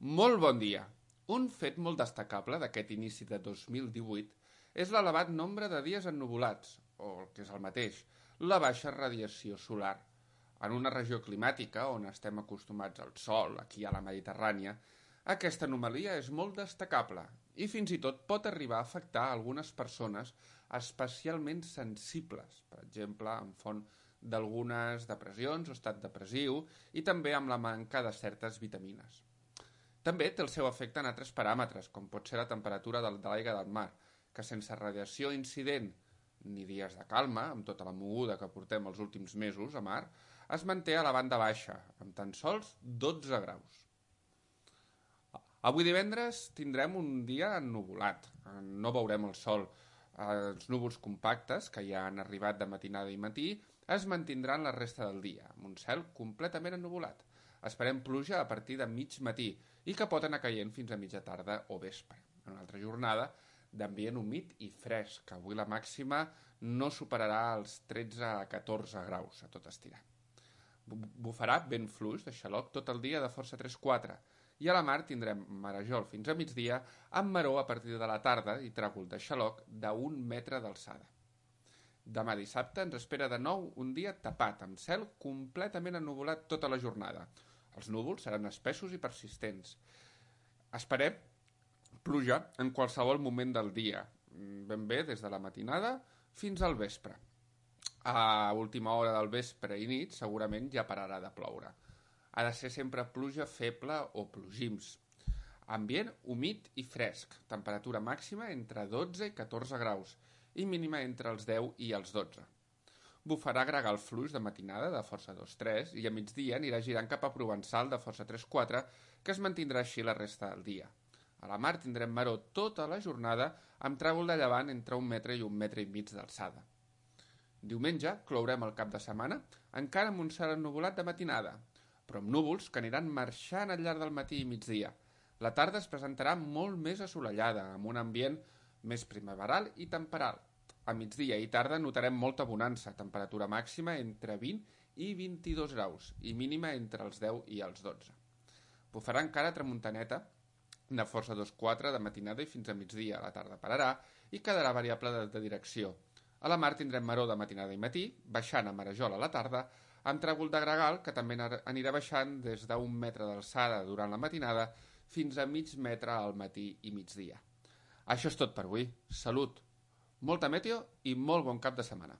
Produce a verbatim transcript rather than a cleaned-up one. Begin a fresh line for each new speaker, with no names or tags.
Molt bon dia! Un fet molt destacable d'aquest inici de dos mil divuit és l'elevat nombre de dies ennuvolats, o el que és el mateix, la baixa radiació solar. En una regió climàtica on estem acostumats al sol, aquí a la Mediterrània, aquesta anomalia és molt destacable i fins i tot pot arribar a afectar a algunes persones especialment sensibles, per exemple, en font d'algunes depressions o estat depressiu i també amb la manca de certes vitamines. També té el seu efecte en altres paràmetres, com pot ser la temperatura de l'aigua del mar, que sense radiació incident ni dies de calma, amb tota la moguda que portem els últims mesos a mar, es manté a la banda baixa, amb tan sols dotze graus. Avui divendres tindrem un dia ennuvolat, no veurem el sol. Els núvols compactes, que ja han arribat de matinada i matí, es mantindran la resta del dia, amb un cel completament ennuvolat. Esperem pluja a partir de mig matí i que pot anar caient fins a mitja tarda o vespre. En una altra jornada d'ambient humit i fresc, que avui la màxima no superarà els tretze a catorze graus a tot estirar. Bufarà vent fluix de xaloc tot el dia de força tres quatre i a la mar tindrem marejol fins a migdia amb maró a partir de la tarda i tràgol de xaloc d'un metre d'alçada. Demà dissabte ens espera de nou un dia tapat, amb cel completament ennuvolat tota la jornada. Els núvols seran espessos i persistents. Esperem pluja en qualsevol moment del dia, ben bé des de la matinada fins al vespre. A última hora del vespre i nit segurament ja pararà de ploure. Ha de ser sempre pluja feble o plogims. Ambient humit i fresc, temperatura màxima entre dotze i catorze graus i mínima entre els deu i els dotze. Bufarà gregal fluix de matinada de força dos tres i a migdia anirà girant cap a provençal de força tres quatre, que es mantindrà així la resta del dia. A la mar tindrem maró tota la jornada amb tràgol de llevant entre un metre i un metre i mig d'alçada. Diumenge clourem el cap de setmana encara amb un cel ennuvolat de matinada, però amb núvols que aniran marxant al llarg del matí i migdia. La tarda es presentarà molt més assolellada, amb un ambient més primaveral i temperal. A migdia i tarda notarem molta bonança, temperatura màxima entre vint i vint-i-dos graus i mínima entre els deu i els dotze. Bufarà encara tramuntaneta de força dos quatre de matinada i fins a migdia. A la tarda pararà i quedarà variable de, de direcció. A la mar tindrem maró de matinada i matí, baixant a marejol a la tarda, amb tràgol de gregal que també anirà baixant des d'un metre d'alçada durant la matinada fins a mig metre al matí i migdia. Això és tot per avui. Salut! Molta meteo i molt bon cap de setmana.